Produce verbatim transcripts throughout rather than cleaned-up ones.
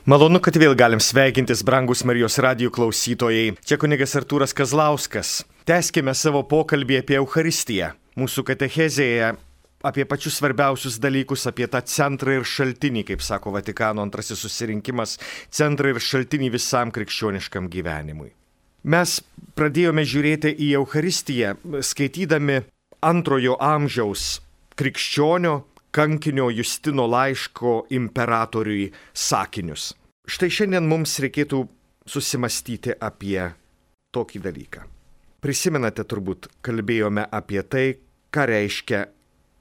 Malonu, kad vėl galim sveikintis, brangus Marijos radijo klausytojai. Čia kunigas Artūras Kazlauskas. Tęskime savo pokalbį apie Eucharistiją. Mūsų katechezėje apie pačius svarbiausius dalykus, apie tą centrą ir šaltinį, kaip sako Vatikano antrasis susirinkimas, centrą ir šaltinį visam krikščioniškam gyvenimui. Mes pradėjome žiūrėti į Eucharistiją, skaitydami antrojo amžiaus krikščionio kankinio Justino laiško imperatoriui sakinius. Štai šiandien mums reikėtų susimastyti apie tokį dalyką. Prisimenate, turbūt kalbėjome apie tai, ką reiškia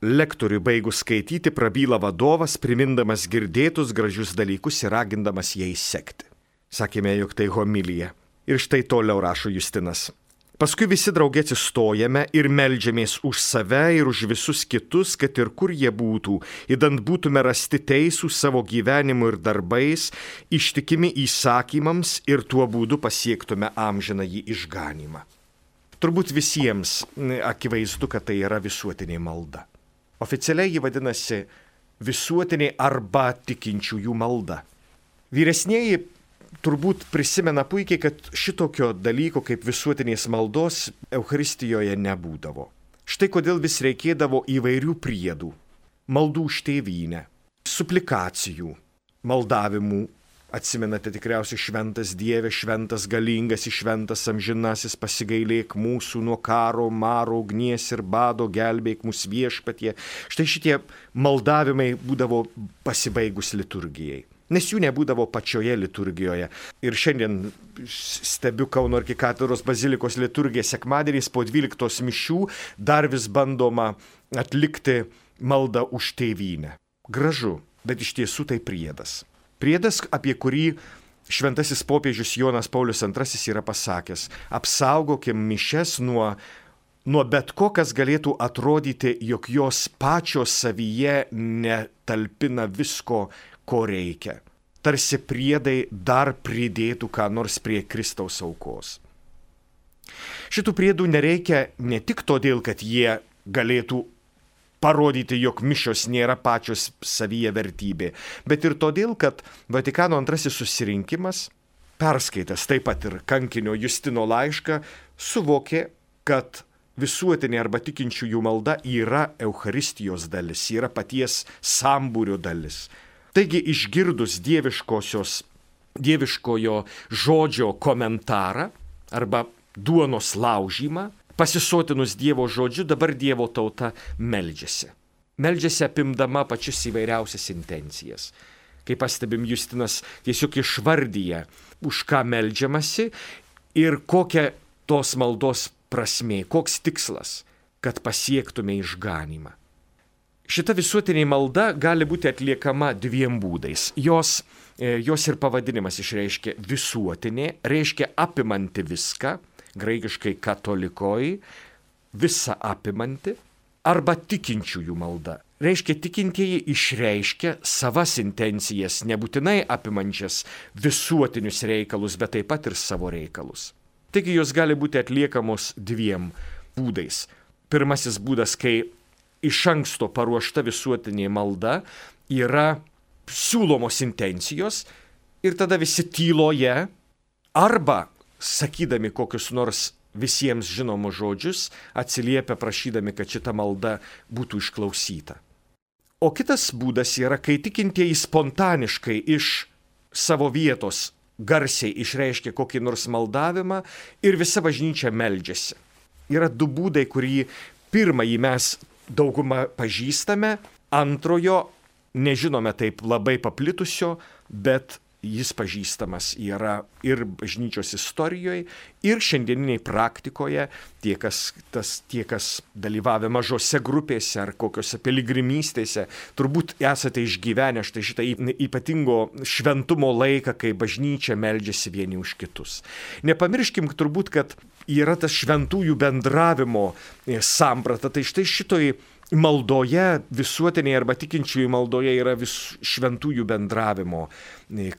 lektoriui baigus skaityti prabyla vadovas, primindamas girdėtus gražius dalykus ir ragindamas jais sekti. Sakėme, jog tai homilija. Ir štai toliau rašo Justinas. Paskui visi drauge atsistojame ir meldžiamės už save ir už visus kitus, kad ir kur jie būtų, idant būtume rasti teisų savo gyvenimu ir darbais, ištikimi įsakymams ir tuo būdu pasiektume amžinąjį išganymą. Turbūt visiems akivaizdu, kad tai yra visuotinė malda. Oficialiai ji vadinasi visuotinė arba tikinčiųjų malda. Vyresnieji turbūt prisimena puikiai, kad šitokio dalyko kaip visuotinės maldos Eucharistijoje nebūdavo. Štai kodėl vis reikėdavo įvairių priedų, maldų už tėvynę, suplikacijų, maldavimų. Atsimenate tikriausiai šventas Dieve, šventas galingas, šventas amžinasis, pasigailėk mūsų nuo karo, maro, ugnies ir bado, gelbėk mūsų viešpatie. Štai šitie maldavimai būdavo pasibaigus liturgijai. Nes jų nebūdavo pačioje liturgijoje. Ir šiandien stebiu Kauno arkikatedros bazilikos liturgiją sekmadieniais po dvyliktos mišių dar vis bandoma atlikti maldą už tėvynę. Gražu, bet iš tiesų tai priedas. Priedas, apie kurį šventasis popiežius Jonas Paulius antrasis yra pasakęs: apsaugokim mišias nuo, nuo bet ko, kas galėtų atrodyti, jog jos pačios savyje netalpina visko, ko reikia. Tarsi priedai dar pridėtų ką nors prie Kristaus aukos. Šitų priedų nereikia ne tik todėl, kad jie galėtų parodyti, jog mišios nėra pačios savyje vertybė, bet ir todėl, kad Vatikano antrasis susirinkimas, perskaitęs taip pat ir kankinio Justino laišką, suvokė, kad visuotinė arba tikinčiųjų malda yra Eucharistijos dalis, yra paties sambūrio dalis. Taigi išgirdus dieviškosios, dieviškojo žodžio komentarą arba duonos laužymą, pasisotinus Dievo žodžiu, dabar Dievo tauta meldžiasi. Meldžiasi apimdama pačias įvairiausias intencijas. Kaip pastebim, Justinas tiesiog išvardyja, už ką meldžiamasi ir kokia tos maldos prasmė, koks tikslas, kad pasiektume išganymą. Šita visuotinė malda gali būti atliekama dviem būdais. Jos, jos ir pavadinimas išreiškia visuotinė, reiškia apimanti viską, graikiškai katolikoj, visa apimanti, arba tikinčiųjų malda. Reiškia, tikintieji išreiškia savas intencijas, nebūtinai apimančias visuotinius reikalus, bet taip pat ir savo reikalus. Taigi jos gali būti atliekamos dviem būdais. Pirmasis būdas, kai iš anksto paruošta visuotinė malda, yra siūlomos intencijos ir tada visi tyloje arba sakydami kokius nors visiems žinomus žodžius atsiliepia prašydami, kad šita malda būtų išklausyta. O kitas būdas yra, kai tikintieji spontaniškai iš savo vietos garsiai išreiškia kokį nors maldavimą ir visa bažnyčia meldžiasi. Yra du būdai, kurį pirmąjį mes daugumą pažįstame, antrojo nežinome taip labai paplitusio, bet jis pažįstamas yra ir bažnyčios istorijoje, ir šiandieniniai praktikoje, tie kas, tas, tie, kas dalyvavę mažose grupėse ar kokiose piligrimystėse, turbūt esate išgyvenę štai šitą ypatingo šventumo laiką, kai bažnyčia meldžiasi vieni už kitus. Nepamirškim turbūt, kad yra tas šventųjų bendravimo samprata, tai štai šitoj maldoje, visuotinėje arba tikinčiųjų maldoje yra vis šventųjų bendravimo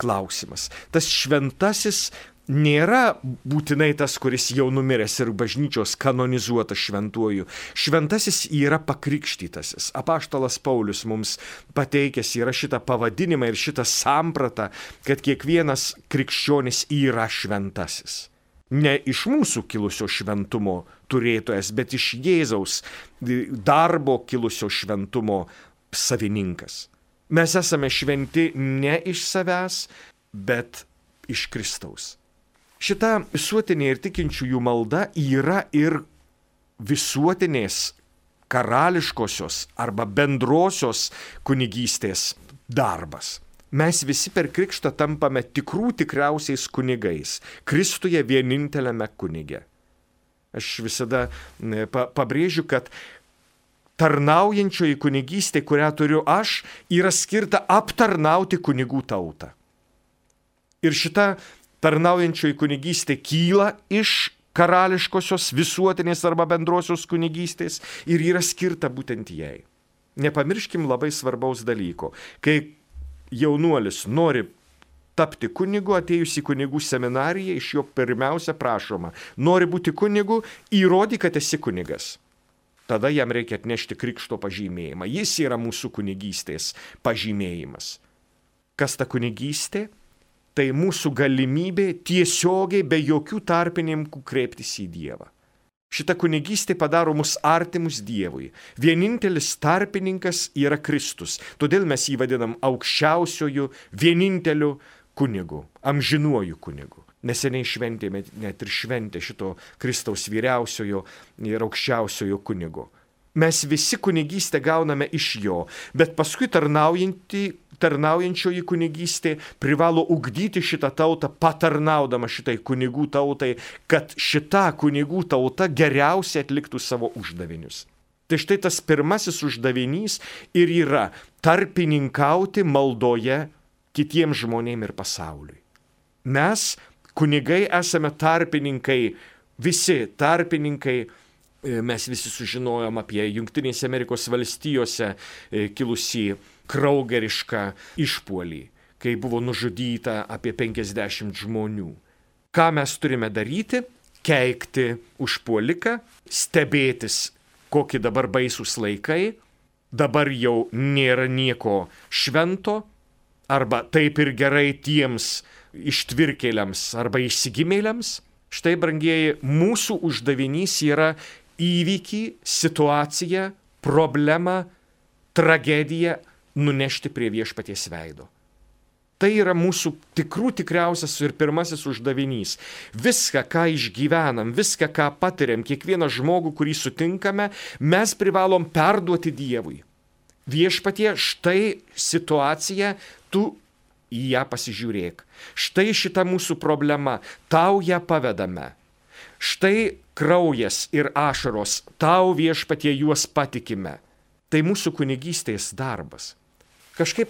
klausimas. Tas šventasis nėra būtinai tas, kuris jau numiręs ir bažnyčios kanonizuotas šventuoju. Šventasis yra pakrikštytasis. Apaštalas Paulius mums pateikęs yra šitą pavadinimą ir šitą sampratą, kad kiekvienas krikščionis yra šventasis. Ne iš mūsų kilusio šventumo turėtojas, bet iš Jėzaus darbo kilusio šventumo savininkas. Mes esame šventi ne iš savęs, bet iš Kristaus. Šita visuotinė ir tikinčiųjų malda yra ir visuotinės karališkosios arba bendrosios kunigystės darbas. Mes visi per krikštą tampame tikrų tikriausiais kunigais, Kristuje vieninteliame kunige. Aš visada pabrėžiu, kad tarnaujančioji kunigystė, kurią turiu aš, yra skirta aptarnauti kunigų tautą. Ir šita tarnaujančioji kunigystė kyla iš karališkosios visuotinės arba bendrosios kunigystės ir yra skirta būtent jai. Nepamirškim labai svarbaus dalyko. Kai jaunuolis nori tapti kunigu, atėjus į kunigų seminariją, iš jo pirmiausia prašoma, nori būti kunigu, įrodyk, kad esi kunigas. Tada jam reikia atnešti krikšto pažymėjimą. Jis yra mūsų kunigystės pažymėjimas. Kas ta kunigystė? Tai mūsų galimybė tiesiogiai be jokių tarpininkų kreiptis į Dievą. Šita kunigystė padaro mus artimus Dievui. Vienintelis tarpininkas yra Kristus. Todėl mes jį vadinam aukščiausiojų, vieninteliu kunigu, amžinuoju kunigu. Neseniai šventėme net ir šventė šito Kristaus vyriausiojo ir aukščiausiojo kunigo. Mes visi kunigystę gauname iš jo, bet paskui tarnaujančioji kunigystė privalo ugdyti šitą tautą, patarnaudama šitai kunigų tautai, kad šita kunigų tauta geriausiai atliktų savo uždavinius. Tai štai tas pirmasis uždavinys ir yra tarpininkauti maldoje kitiems žmonėms ir pasauliui. Mes, kunigai, esame tarpininkai, visi tarpininkai. Mes visi sužinojom apie Jungtinėse Amerikos valstijose kilusį kraugerišką išpuolį, kai buvo nužudyta apie penkiasdešimt žmonių. Ką mes turime daryti? Keikti užpuoliką, stebėtis, kokie dabar baisūs laikai, dabar jau nėra nieko švento, arba taip ir gerai tiems ištvirkėliams arba išsigimėliams. Štai, brangieji, mūsų uždavinys yra įvykį, situaciją, problemą, tragediją nunešti prie viešpaties veido. Tai yra mūsų tikrų tikriausias ir pirmasis uždavinys. Viską, ką išgyvenam, viską, ką patiriam, kiekvieną žmogų, kurį sutinkame, mes privalom perduoti Dievui. Viešpatie, štai situacija, tu į ją pasižiūrėk. Štai šita mūsų problema, tau ją pavedame. Štai kraujas ir ašaros, tau Viešpatie juos patikime. Tai mūsų kunigystės darbas. Kažkaip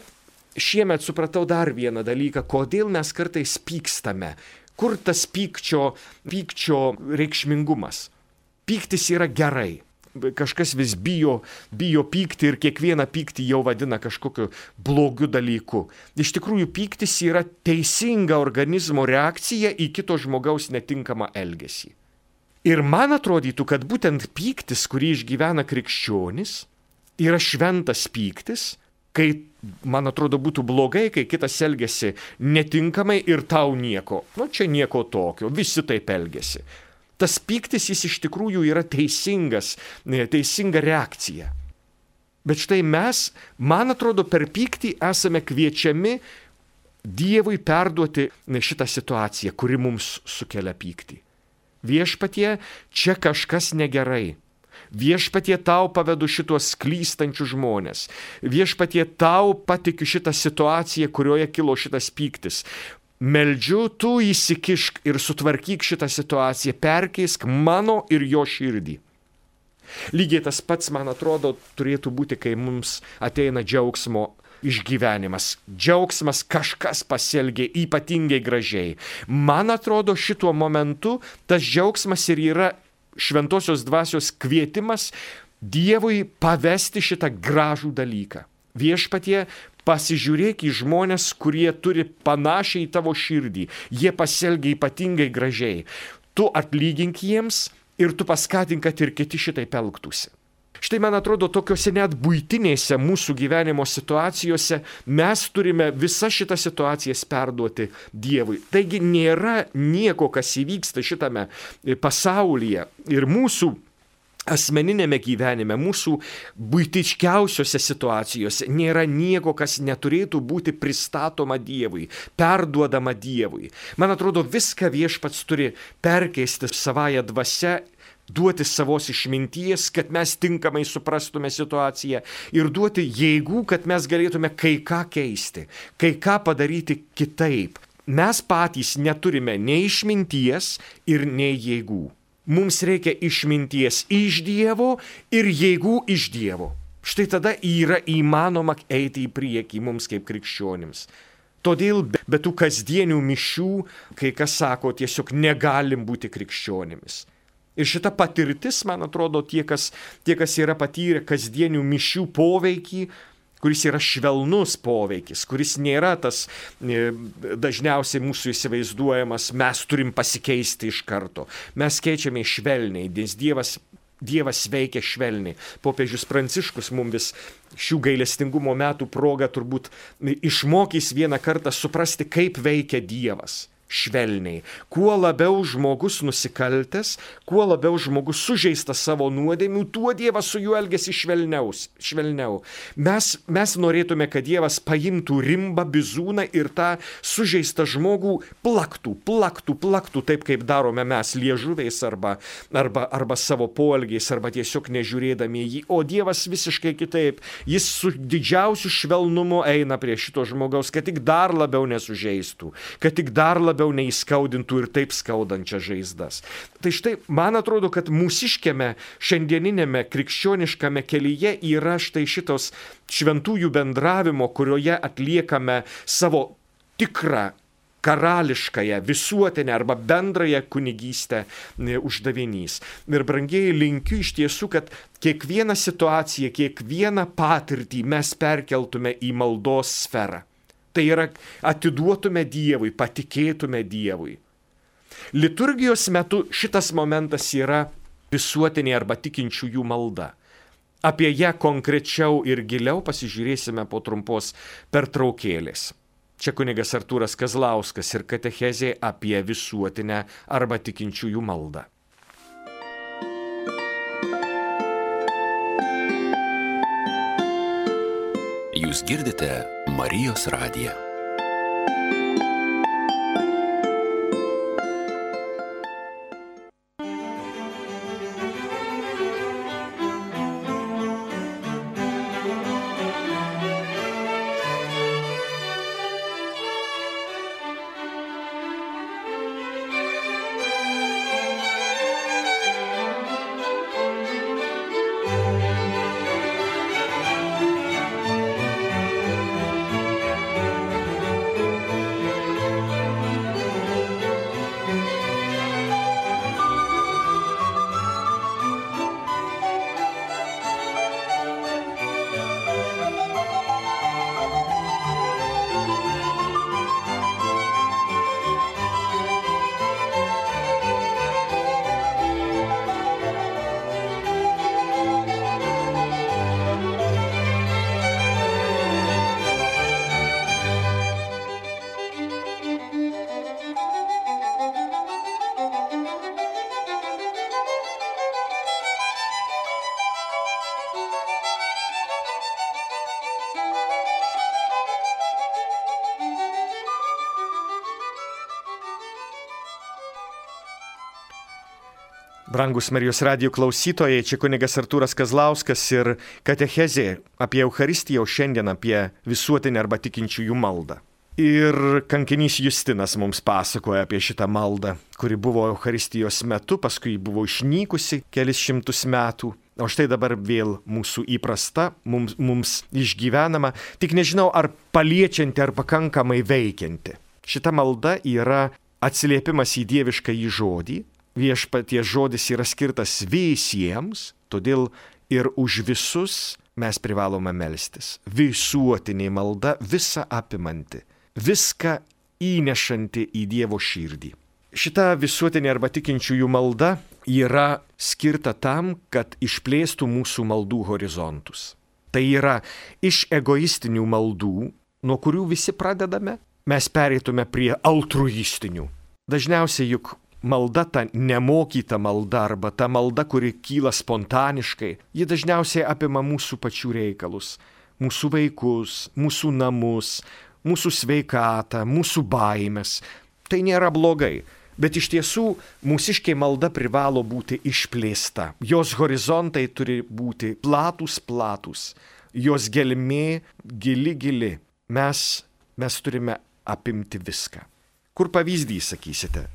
šiemet supratau dar vieną dalyką, kodėl mes kartais pykstame. Kur tas pykčio, pykčio reikšmingumas? Pyktis yra gerai. Kažkas vis bijo, bijo pykti ir kiekvieną pyktį jau vadina kažkokiu blogiu dalyku. Iš tikrųjų, pyktis yra teisinga organizmo reakcija į kito žmogaus netinkamą elgesį. Ir man atrodytų, kad būtent pyktis, kurį išgyvena krikščionis, yra šventas pyktis, kai, man atrodo, būtų blogai, kai kitas elgesi netinkamai ir tau nieko. Nu, čia nieko tokio, visi taip elgesi. Tas pyktis, jis iš tikrųjų yra teisingas, teisinga reakcija. Bet štai mes, man atrodo, per pyktį esame kviečiami Dievui perduoti šitą situaciją, kuri mums sukelia pyktį. Viešpatie, čia kažkas negerai. Viešpatie, tau pavedu šitos klystančius žmonės. Viešpatie, tau patikiu šitą situaciją, kurioje kilo šitas pyktis. Meldžiu, tu įsikišk ir sutvarkyk šitą situaciją, perkeisk mano ir jo širdį. Lygiai tas pats, man atrodo, turėtų būti, kai mums ateina džiaugsmo išgyvenimas. Džiaugsmas, kažkas pasielgė ypatingai gražiai. Man atrodo, šituo momentu tas džiaugsmas ir yra šventosios dvasios kvietimas Dievui pavesti šitą gražų dalyką. Viešpatie, pasižiūrėk į žmonės, kurie turi panašiai į tavo širdį. Jie pasielgia ypatingai gražiai. Tu atlygink jiems ir tu paskatink, kad ir kiti šitai elgtųsi. Štai, man atrodo, tokiuose net buitinėse mūsų gyvenimo situacijose mes turime visas šitas situacijas perduoti Dievui. Taigi nėra nieko, kas įvyksta šitame pasaulyje ir mūsų asmeninėme gyvenime, mūsų buitiškiausiose situacijose nėra nieko, kas neturėtų būti pristatoma Dievui, perduodama Dievui. Man atrodo, viską Viešpats turi perkeisti savąją dvasią, duoti savos išminties, kad mes tinkamai suprastume situaciją ir duoti jėgų, kad mes galėtume kai ką keisti, kai ką padaryti kitaip. Mes patys neturime nei išminties ir nei jėgų. Mums reikia išminties iš Dievo ir jėgų iš Dievo. Štai tada yra įmanoma eiti į priekį mums kaip krikščionims. Todėl be tų kasdienių mišių, kai kas sako, tiesiog negalim būti krikščionimis. Ir šita patirtis, man atrodo, tie, kas, tie, kas yra patyrę kasdienių mišių poveikį, kuris yra švelnus poveikis, kuris nėra tas e, dažniausiai mūsų įsivaizduojamas, mes turim pasikeisti iš karto. Mes keičiame švelniai, nes Dievas, Dievas veikia švelniai. Popiežius Pranciškus mums vis šių gailestingumo metų proga turbūt išmokys vieną kartą suprasti, kaip veikia Dievas. Švelniai. Kuo labiau žmogus nusikaltęs, kuo labiau žmogus sužeistas savo nuodėmių, tuo Dievas su juo elgiasi švelniaus, švelniau. Mes, mes norėtume, kad Dievas paimtų rimbą, bizūną ir tą sužeistą žmogų plaktų, plaktų, plaktų, taip kaip darome mes liežuviais arba, arba, arba savo poelgiais, arba tiesiog nežiūrėdami jį. O Dievas visiškai kitaip. Jis su didžiausiu švelnumu eina prie šito žmogaus, kad tik dar labiau nesužeistų, kad tik dar labiau neįskaudintų ir taip skaudančias žaizdas. Tai štai, man atrodo, kad mūsiškiame šiandieninėme krikščioniškame kelyje yra štai šitos šventųjų bendravimo, kurioje atliekame savo tikrą karališkąją, visuotinę arba bendrąją kunigystę uždavinys. Ir brangieji, linkiu iš tiesų, kad kiekvieną situaciją, kiekvieną patirtį mes perkeltume į maldos sferą. Tai yra, atiduotume Dievui, patikėtume Dievui. Liturgijos metu šitas momentas yra visuotinė arba tikinčiųjų malda. Apie ją konkrečiau ir giliau pasižiūrėsime po trumpos pertraukėlės. Čia kunigas Artūras Kazlauskas ir katechezė apie visuotinę arba tikinčiųjų maldą. Jūs girdite Marijos radiją. Brangus Marijos radijo klausytojai, čia kunigas Artūras Kazlauskas ir katechezė apie Eucharistiją, o šiandien apie visuotinę arba tikinčiųjų maldą. Ir kankinys Justinas mums pasakoja apie šitą maldą, kuri buvo Eucharistijos metu, paskui buvo išnykusi kelis šimtus metų, o štai dabar vėl mūsų įprasta, mums, mums išgyvenama, tik nežinau, ar paliečianti, ar pakankamai veikianti. Šita malda yra atsiliepimas į dievišką į žodį. Viešpaties žodis yra skirtas visiems, todėl Ir už visus mes privalome melstis. Visuotinė malda, visa apimanti, viską įnešanti į Dievo širdį. Šita visuotinė arba tikinčiųjų malda yra skirta tam, kad išplėstų mūsų maldų horizontus. Tai yra iš egoistinių maldų, nuo kurių visi pradedame, mes pereitume prie altruistinių. Dažniausiai juk malda, ta nemokyta malda arba ta malda, kuri kyla spontaniškai, ji dažniausiai apima mūsų pačių reikalus, mūsų vaikus, mūsų namus, mūsų sveikatą, mūsų baimės. Tai nėra blogai, bet iš tiesų mūsiškė malda privalo būti išplėsta. Jos horizontai turi būti platus, platus, jos gelmė gili, gili. Mes, mes turime apimti viską. Kur pavyzdys, sakysite?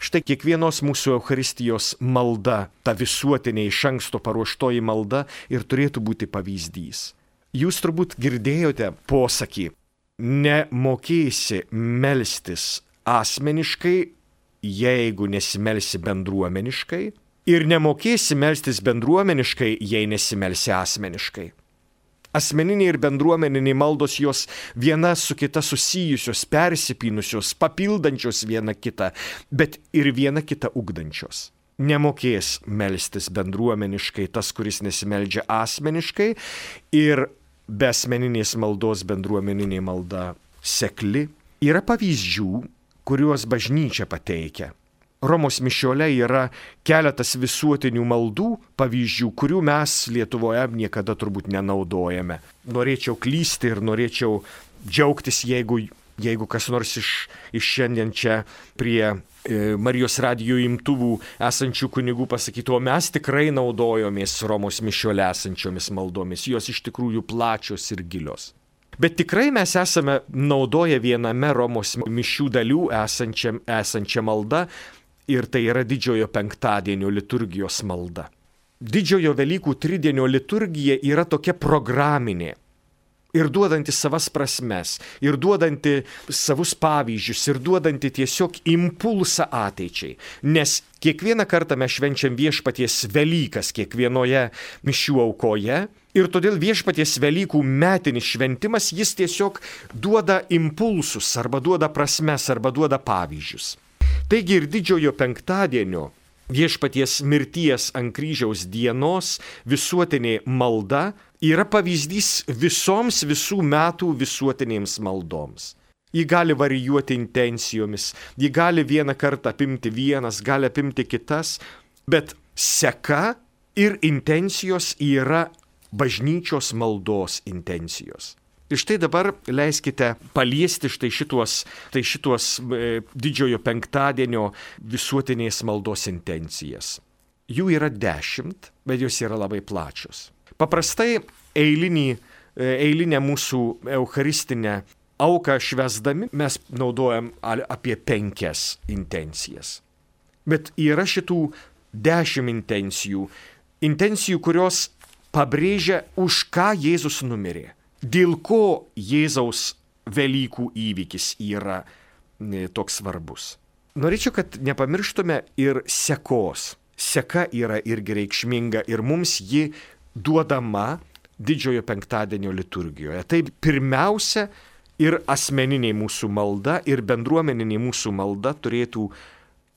Štai kiekvienos mūsų Eucharistijos malda, ta visuotinė iš anksto paruoštoji malda ir turėtų būti pavyzdys. Jūs turbūt girdėjote posakį, nemokėsi melstis asmeniškai, jeigu nesimelsi bendruomeniškai, ir nemokėsi melstis bendruomeniškai, jei nesimelsi asmeniškai. Asmeniniai ir bendruomeniniai maldos jos viena su kita susijusios, persipynusios, papildančios viena kitą, bet ir viena kitą ugdančios. Nemokės melstis bendruomeniškai tas, kuris nesimeldžia asmeniškai, ir be asmeninės maldos bendruomeninė malda sekli. Yra pavyzdžių, kuriuos bažnyčia pateikia. Romos mišiole yra keletas visuotinių maldų pavyzdžių, kurių mes Lietuvoje niekada turbūt nenaudojame. Norėčiau klysti ir norėčiau džiaugtis, jeigu, jeigu kas nors iš, iš šiandien čia prie e, Marijos radijo imtuvų esančių kunigų pasakytų, o mes tikrai naudojomės Romos mišiole esančiomis maldomis. Jos iš tikrųjų plačios ir gilios. Bet tikrai mes esame naudoję viename Romos mišių dalių esančią, esančią maldą, ir tai yra didžiojo penktadienio liturgijos malda. Didžiojo Velykų tridienio liturgija yra tokia programinė ir duodanti savas prasmes, ir duodanti savus pavyzdžius, ir duodanti tiesiog impulsą ateičiai. Nes kiekvieną kartą mes švenčiam Viešpaties Velykas kiekvienoje mišių aukoje, ir todėl Viešpaties Velykų metinis šventimas, jis tiesiog duoda impulsus, arba duoda prasmes, arba duoda pavyzdžius. Taigi ir didžiojo penktadienio Viešpaties mirties ant kryžiaus dienos visuotinė malda yra pavyzdys visoms visų metų visuotinėms maldoms. Ji gali varijuoti intencijomis, ji gali vieną kartą apimti vienas, gali apimti kitas, bet seka ir intencijos yra bažnyčios maldos intencijos. Ir štai dabar leiskite paliesti štai šituos, tai šituos e, didžiojo penktadienio visuotinės maldos intencijas. Jų yra dešimt, bet jos yra labai plačios. Paprastai eilinį, e, eilinę mūsų eucharistinę auką švęsdami mes naudojam apie penkias intencijas. Bet yra šitų dešimt intencijų, intencijų, kurios pabrėžia, už ką Jėzus numirė. Dėl ko Jėzaus Velykų įvykis yra toks svarbus. Norėčiau, kad nepamirštume ir sekos. Seka yra irgi reikšminga ir mums ji duodama didžiojo penktadienio liturgijoje. Tai pirmiausia ir asmeninė mūsų malda, ir bendruomeninė mūsų malda turėtų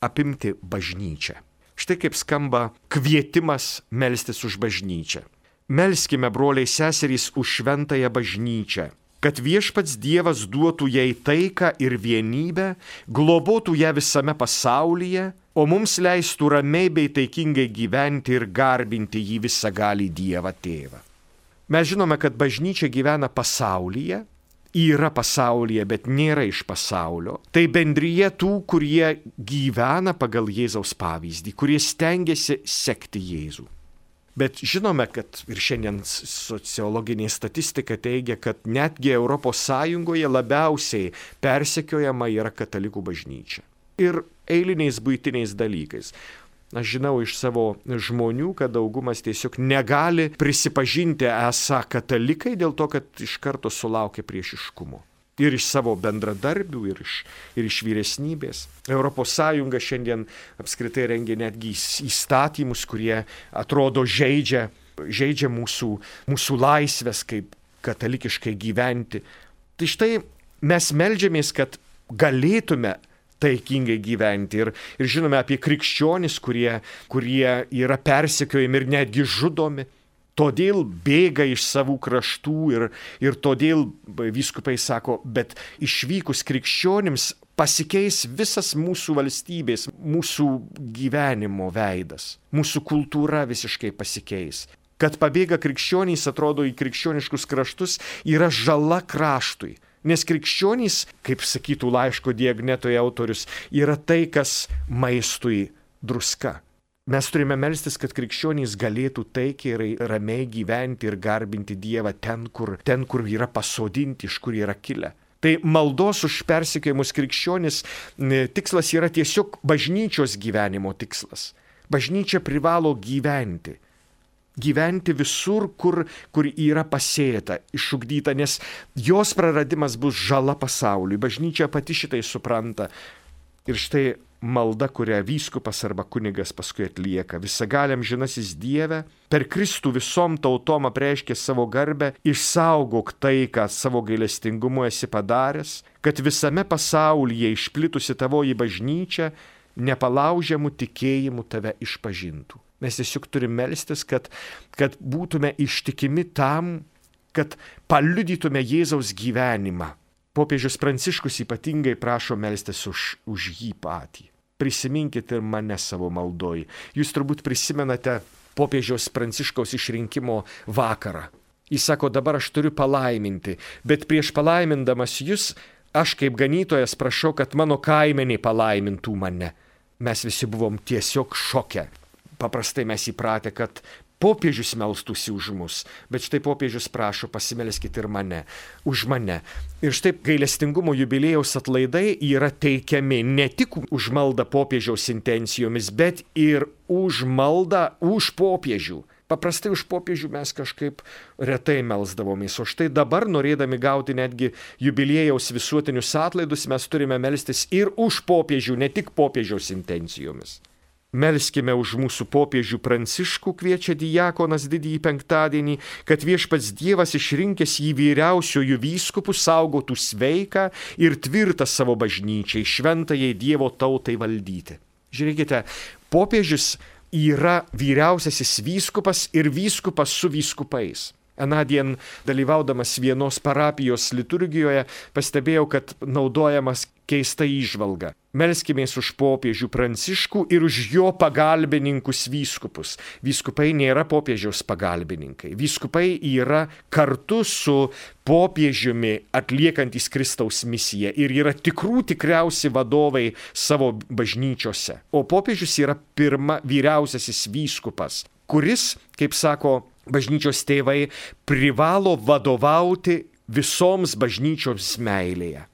apimti bažnyčią. Štai kaip skamba kvietimas melstis už bažnyčią. Melskime, broliai seserys, už šventąją bažnyčią, kad Viešpats Dievas duotų jai taiką ir vienybę, globotų ją visame pasaulyje, o mums leistų ramiai bei taikingai gyventi ir garbinti jį visagalį Dievą Tėvą. Mes žinome, kad bažnyčia gyvena pasaulyje, yra pasaulyje, bet nėra iš pasaulio. Tai bendrija tų, kurie gyvena pagal Jėzaus pavyzdį, kurie stengiasi sekti Jėzų. Bet žinome, kad ir šiandien sociologinė statistika teigia, kad netgi Europos Sąjungoje labiausiai persekiojama yra katalikų bažnyčia. Ir eiliniais buitiniais dalykais. Aš žinau iš savo žmonių, kad daugumas tiesiog negali prisipažinti esą katalikai dėl to, kad iš karto sulaukia priešiškumo. Ir iš savo bendradarbių, ir iš, ir iš vyresnybės. Europos Sąjunga šiandien apskritai rengia netgi įstatymus, kurie atrodo žaidžia žaidžia mūsų, mūsų laisvės, kaip katalikiškai gyventi. Tai štai mes meldžiamės, kad galėtume taikingai gyventi. Ir, ir žinome apie krikščionis, kurie, kurie yra persekiojami ir netgi žudomi. Todėl bėga iš savų kraštų ir, ir todėl vyskupai sako, bet išvykus krikščionims pasikeis visas mūsų valstybės, mūsų gyvenimo veidas, mūsų kultūra visiškai pasikeis. Kad pabėga krikščionys, atrodo, į krikščioniškus kraštus yra žala kraštui. Nes krikščionys, kaip sakytų laiško Diagnetoje autorius, yra tai, kas maistui druska. Mes turime melstis, kad krikščionys galėtų taikiai ir ramiai gyventi ir garbinti Dievą ten, kur, ten, kur yra pasodinti, iš kur yra kilę. Tai maldos už persekiojimus krikščionys tikslas yra tiesiog bažnyčios gyvenimo tikslas. Bažnyčia privalo gyventi. Gyventi visur, kur, kur yra pasėta, išugdyta, nes jos praradimas bus žala pasauliui. Bažnyčia pati šitai supranta. Ir štai malda, kurią vyskupas arba kunigas paskui atlieka. Visagaliam žinasis Dieve, per Kristų visom tautom apreiškė savo garbę, išsaugok tai, ką savo gailestingumu esi padaręs, kad visame pasaulyje išplitusi tavoji bažnyčia nepalaužiamų tikėjimų tave išpažintų. Mes tiesiog turime melstis, kad, kad būtume ištikimi tam, kad paliudytume Jėzaus gyvenimą. Popiežius Pranciškus ypatingai prašo melstis už, už jį patį. Prisiminkit ir mane savo maldoj. Jūs turbūt prisimenate popiežiaus Pranciškaus išrinkimo vakarą. Jis sako, dabar aš turiu palaiminti, bet prieš palaimindamas jūs, aš kaip ganytojas prašau, kad mano kaimeniai palaimintų mane. Mes visi buvom tiesiog šoke. Paprastai mes įpratę, kad popiežius melstųsi už mus, bet štai popiežius prašo, pasimelskit ir mane, už mane. Ir štai gailestingumo jubiliejaus atlaidai yra teikiami ne tik už maldą popiežiaus intencijomis, bet ir už maldą už popiežių. Paprastai už popiežių mes kažkaip retai melsdavomės, o štai dabar, norėdami gauti netgi jubiliejaus visuotinius atlaidus, mes turime melstis ir už popiežių, ne tik popiežiaus intencijomis. Melskime už mūsų popiežių Pranciškų, kviečia diakonas didįjį penktadienį, kad viešpats Dievas išrinkęs jį vyriausiojų vyskupų saugotų sveiką ir tvirtą savo bažnyčiai, šventajai Dievo tautai valdyti. Žiūrėkite, popiežius yra vyriausiasis vyskupas ir vyskupas su vyskupais. Anadien dalyvaudamas vienos parapijos liturgijoje pastebėjau, kad naudojamas keista įžvalga. Melskimės už popiežių Pranciškų ir už jo pagalbininkus vyskupus. Vyskupai nėra popiežiaus pagalbininkai. Vyskupai yra kartu su popiežiumi atliekantys Kristaus misiją ir yra tikrų tikriausi vadovai savo bažnyčiose. O popiežius yra pirma vyriausiasis vyskupas, kuris, kaip sako bažnyčios tėvai, privalo vadovauti visoms bažnyčioms meilėje.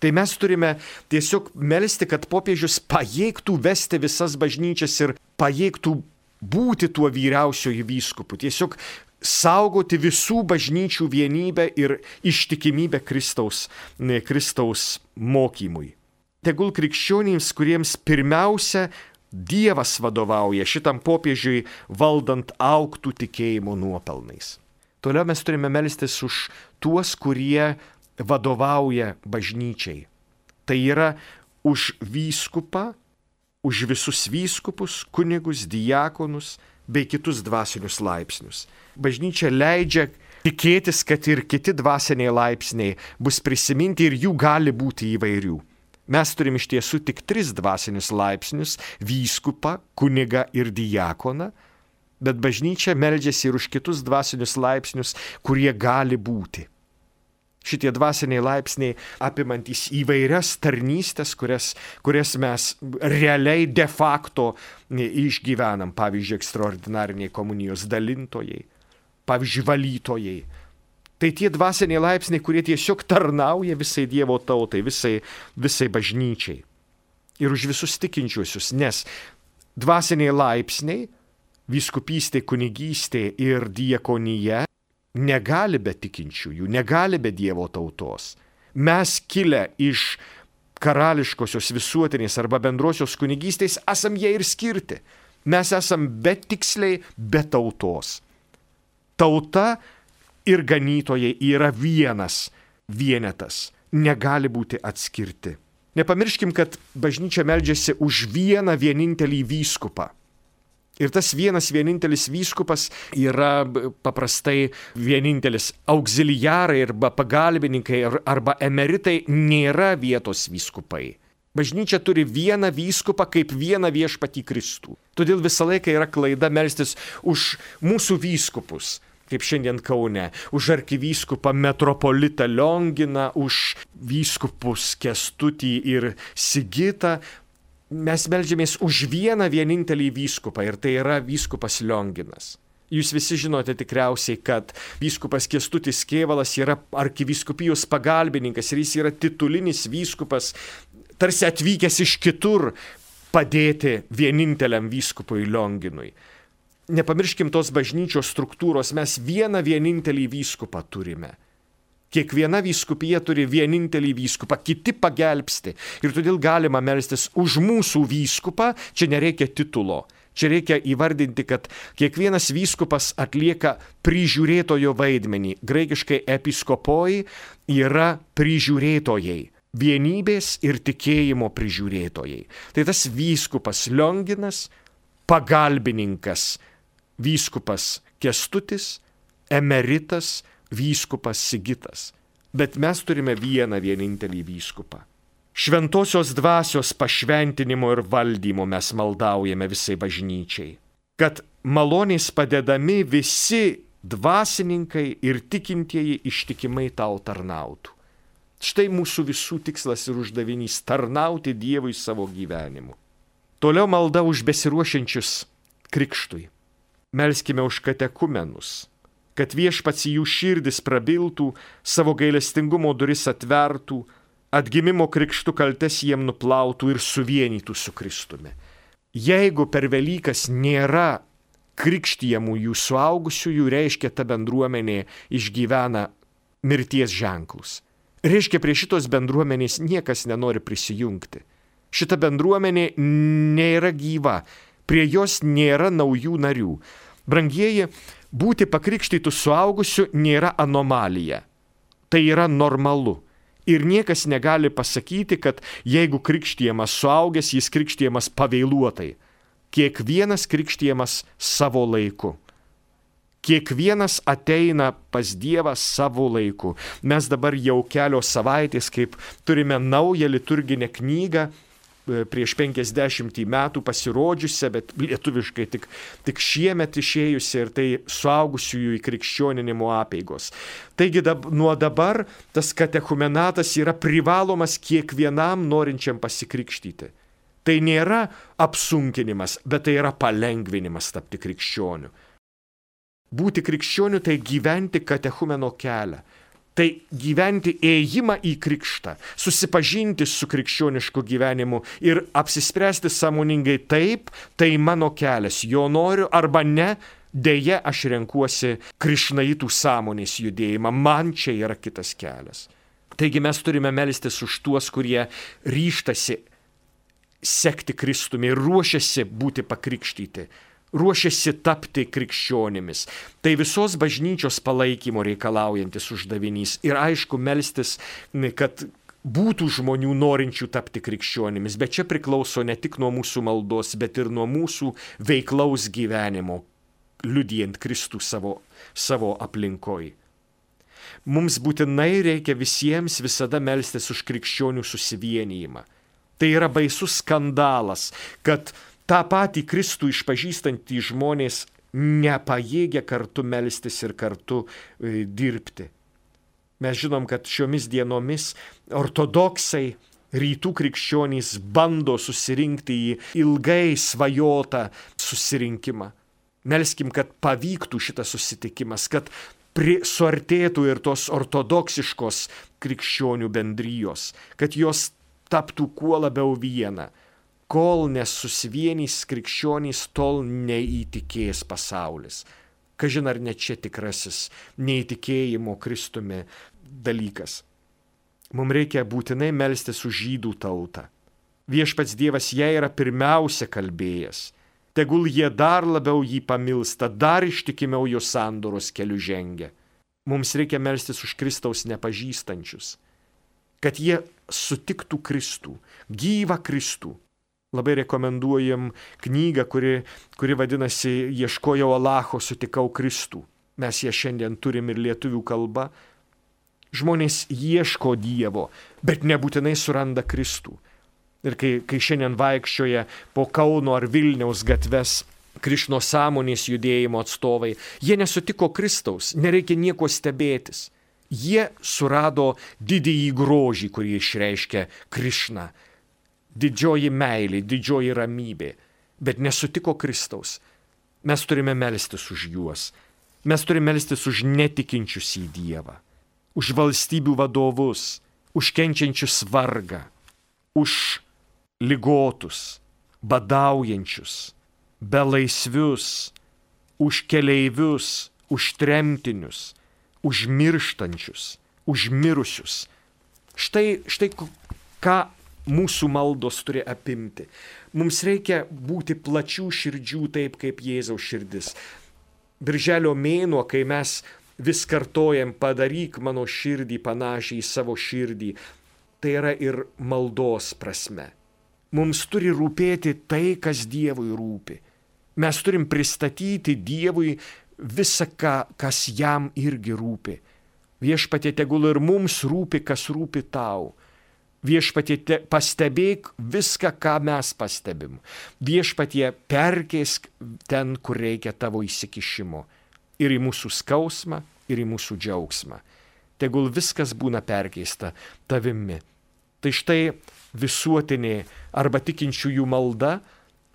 Tai mes turime tiesiog melsti, kad popiežius pajėgtų vesti visas bažnyčias ir pajėgtų būti tuo vyriausioju vyskupu. Tiesiog saugoti visų bažnyčių vienybę ir ištikimybę Kristaus, ne, Kristaus mokymui. Tegul krikščionims, kuriems pirmiausia Dievas vadovauja šitam popiežiui valdant augtų tikėjimo nuopelnais. Toliau mes turime melstis už tuos, kurie vadovauja bažnyčiai. Tai yra už vyskupą, už visus vyskupus, kunigus, diakonus bei kitus dvasinius laipsnius. Bažnyčia leidžia tikėtis, kad ir kiti dvasiniai laipsniai bus prisiminti ir jų gali būti įvairių. Mes turim iš tiesų tik tris dvasinius laipsnius – vyskupą, kunigą ir diakoną, bet bažnyčia meldžiasi ir už kitus dvasinius laipsnius, kurie gali būti. Šitie dvasiniai laipsniai apimantys įvairias tarnystės, kurias, kurias mes realiai de facto išgyvenam, pavyzdžiui, ekstraordinariniai komunijos dalintojai, pavyzdžiui, valytojai. Tai tie dvasiniai laipsniai, kurie tiesiog tarnauja visai Dievo tautai, visai, visai bažnyčiai. Ir už visus tikinčiuosius, nes dvasiniai laipsniai, vyskupystė, kunigystė ir diakonija negali be tikinčiųjų, negali be Dievo tautos. Mes kilę iš karališkosios visuotinės arba bendrosios kunigystės esam jie ir skirti. Mes esam betiksliai be tautos. Tauta ir ganytojai yra vienas vienetas, negali būti atskirti. Nepamirškim, kad bažnyčia meldžiasi už vieną vienintelį vyskupą. Ir tas vienas vienintelis vyskupas yra paprastai vienintelis. Auxiliarai arba pagalbininkai arba emeritai nėra vietos vyskupai. Bažnyčia turi vieną vyskupą kaip vieną viešpatį Kristų. Todėl visą laiką yra klaida melstis už mūsų vyskupus, kaip šiandien Kaune, už arkivyskupą metropolitą Lionginą, už vyskupus Kęstutį ir Sigitą. Mes meldžiamės už vieną vienintelį vyskupą ir tai yra vyskupas Lionginas. Jūs visi žinote tikriausiai, kad vyskupas Kęstutis Kėvalas yra arkivyskupijos pagalbininkas ir jis yra titulinis vyskupas, tarsi atvykęs iš kitur padėti vieninteliam vyskupui Lionginui. Nepamirškim tos bažnyčios struktūros, mes vieną vienintelį vyskupą turime. Kiekviena vyskupija turi vienintelį vyskupą, kiti pagelbsti. Ir todėl galima melstis už mūsų vyskupą, čia nereikia titulo. Čia reikia įvardinti, kad kiekvienas vyskupas atlieka prižiūrėtojo vaidmenį. Graikiškai episkopoi yra prižiūrėtojai. Vienybės ir tikėjimo prižiūrėtojai. Tai tas vyskupas Lionginas, pagalbininkas vyskupas Kęstutis, emeritas vyskupas Sigitas. Bet mes turime vieną vienintelį vyskupą. Šventosios dvasios pašventinimo ir valdymo mes maldaujame visai bažnyčiai. Kad malonės padedami visi dvasininkai ir tikintieji ištikimai tau tarnautų. Štai mūsų visų tikslas ir uždavinys - tarnauti Dievui savo gyvenimu. Toliau malda už besiruošiančius krikštui. Melskime už katekumenus, kad viešpats jų širdis prabiltų, savo gailestingumo duris atvertų, atgimimo krikštų kaltes jiem nuplautų ir suvienytų su Kristumi. Jeigu per Velykas nėra krikštijamųjų suaugusiųjų, reiškia, ta bendruomenė išgyvena mirties ženklus. Reiškia, prie šitos bendruomenės niekas nenori prisijungti. Šita bendruomenė nėra gyva, prie jos nėra naujų narių. Brangieji, būti pakrikštytų suaugusių nėra anomalija. Tai yra normalu. Ir niekas negali pasakyti, kad jeigu krikštijamas suaugęs, jis krikštijamas pavėluotai. Kiekvienas krikštijamas savo laiku. Kiekvienas ateina pas Dievą savo laiku. Mes dabar jau kelios savaitės, kaip turime naują liturginę knygą, prieš penkiasdešimtį metų pasirodžiusią, bet lietuviškai tik, tik šiemet išėjusią, ir tai suaugusiųjų įkrikščioninimo apeigos. Taigi dab, nuo dabar tas katechumenatas yra privalomas kiekvienam norinčiam pasikrikštyti. Tai nėra apsunkinimas, bet tai yra palengvinimas tapti krikščioniu. Būti krikščioniu tai gyventi katechumeno kelią. Tai gyventi ėjimą į krikštą, susipažinti su krikščionišku gyvenimu ir apsispręsti sąmoningai taip, tai mano kelias, jo noriu arba ne, dėja aš renkuosi krišnaitų sąmonės judėjimą, man čia yra kitas kelias. Taigi mes turime melstis už tuos, kurie ryžtasi sekti Kristumi ir ruošiasi būti pakrikštyti. Ruošiasi tapti krikščionimis. Tai visos bažnyčios palaikymo reikalaujantis uždavinys. Ir aišku, melstis, kad būtų žmonių norinčių tapti krikščionimis. Bet čia priklauso ne tik nuo mūsų maldos, bet ir nuo mūsų veiklaus gyvenimo, liudijant Kristų savo, savo aplinkoj. Mums būtinai reikia visiems visada melstis už krikščionių susivienijimą. Tai yra baisus skandalas, kad tą patį Kristų išpažįstantį žmonės nepajėgia kartu melstis ir kartu e, dirbti. Mes žinom, kad šiomis dienomis ortodoksai, rytų krikščionys bando susirinkti į ilgai svajotą susirinkimą. Melskim, kad pavyktų šitas susitikimas, kad suartėtų ir tos ortodoksiškos krikščionių bendrijos, kad jos taptų kuo labiau viena. Kol nesusivienys krikščionys, tol neįtikės pasaulis. Kažin ar ne čia tikrasis neįtikėjimo Kristumi dalykas. Mums reikia būtinai melstis už žydų tautą. Viešpats Dievas jai yra pirmiausia kalbėjęs. tegul jie dar labiau jį pamilsta, dar ištikimiau jo sandoros keliu žengia. Mums reikia melstis už Kristaus nepažįstančius, kad jie sutiktų Kristų, gyvą Kristų. Labai rekomenduojam knygą, kuri, kuri vadinasi Ieškojau Alacho, sutikau Kristų. Mes ją šiandien turim ir lietuvių kalba. Žmonės ieško Dievo, bet nebūtinai suranda Kristų. Ir kai, kai šiandien vaikščioja po Kauno ar Vilniaus gatves Krišno sąmonės judėjimo atstovai, jie nesutiko Kristaus, nereikia nieko stebėtis. Jie surado didįjį grožį, kurį išreiškia Krišna. Didžioji meilė, didžioji ramybė, bet nesutiko Kristaus. Mes turime melstis už juos. Mes turime melstis už netikinčius į Dievą, už valstybių vadovus, už kenčiančius vargą, už ligotus, badaujančius, belaisvius, už keleivius, už tremtinius, už mirštančius, už mirusius. Štai, štai ką mūsų maldos turi apimti. Mums reikia būti plačių širdžių taip, kaip Jėzaus širdis. Birželio mėnuo, kai mes vis kartojam, padaryk mano širdį panašiai į savo širdį, tai yra ir maldos prasme. Mums turi rūpėti tai, kas Dievui rūpi. Mes turim pristatyti Dievui visą, ką, kas jam irgi rūpi. Viešpatie, tegul ir mums rūpi, kas rūpi tau. Viešpatie, te, pastebėk viską, ką mes pastebim. Viešpatie, perkeisk ten, kur reikia tavo įsikišimo. Ir į mūsų skausmą, ir į mūsų džiaugsmą. Tegul viskas būna perkeista tavimi. Tai štai visuotinė arba tikinčiųjų malda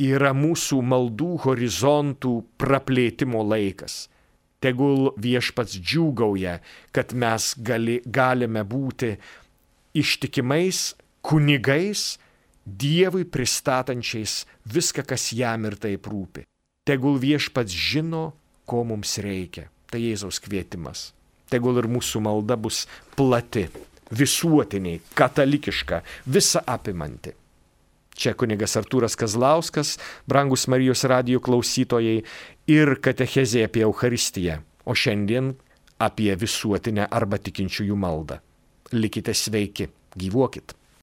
yra mūsų maldų horizontų praplėtimo laikas. Tegul Viešpats džiūgauja, kad mes gali, galime būti ištikimais kunigais, Dievui pristatančiais viską, kas jam ir taip rūpi. Tegul Viešpats žino, ko mums reikia. Tai Jėzaus kvietimas. Tegul ir mūsų malda bus plati, visuotinė, katalikiška, visa apimanti. Čia kunigas Artūras Kazlauskas, brangus Marijos radijo klausytojai, ir katechezė apie Eucharistiją, o šiandien apie visuotinę arba tikinčiųjų maldą. Likite sveiki, gyvuokit.